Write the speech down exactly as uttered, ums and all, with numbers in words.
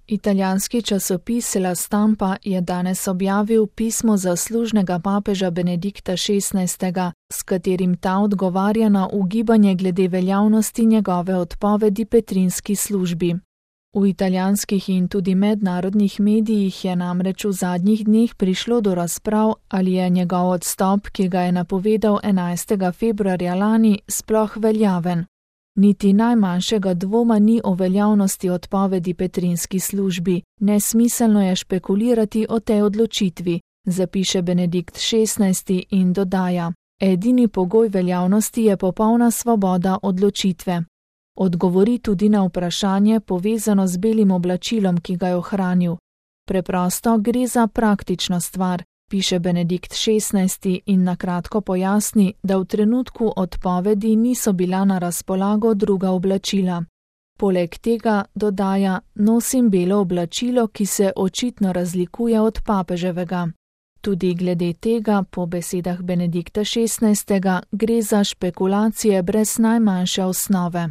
Italijanski časopis La Stampa je danes objavil pismo zaslužnega papeža Benedikta šestnajstega, s katerim ta odgovarja na ugibanje glede veljavnosti njegove odpovedi petrinski službi. V italijanskih in tudi mednarodnih medijih je namreč v zadnjih dneh prišlo do razprav, ali je njegov odstop, ki ga je napovedal enajstega februarja lani, sploh veljaven. Niti najmanjšega dvoma ni o veljavnosti odpovedi petrinski službi, nesmiselno je špekulirati o tej odločitvi, zapiše Benedikt šestnajsti in dodaja: edini pogoj veljavnosti je popolna svoboda odločitve. Odgovori tudi na vprašanje povezano z belim oblačilom, ki ga je ohranil. Preprosto gre za praktično stvar, piše Benedikt šestnajsti in na kratko pojasni, da v trenutku odpovedi niso bila na razpolago druga oblačila. Poleg tega, dodaja, nosim belo oblačilo, ki se očitno razlikuje od papeževega. Tudi glede tega, po besedah Benedikta šestnajstega, gre za špekulacije brez najmanjše osnove.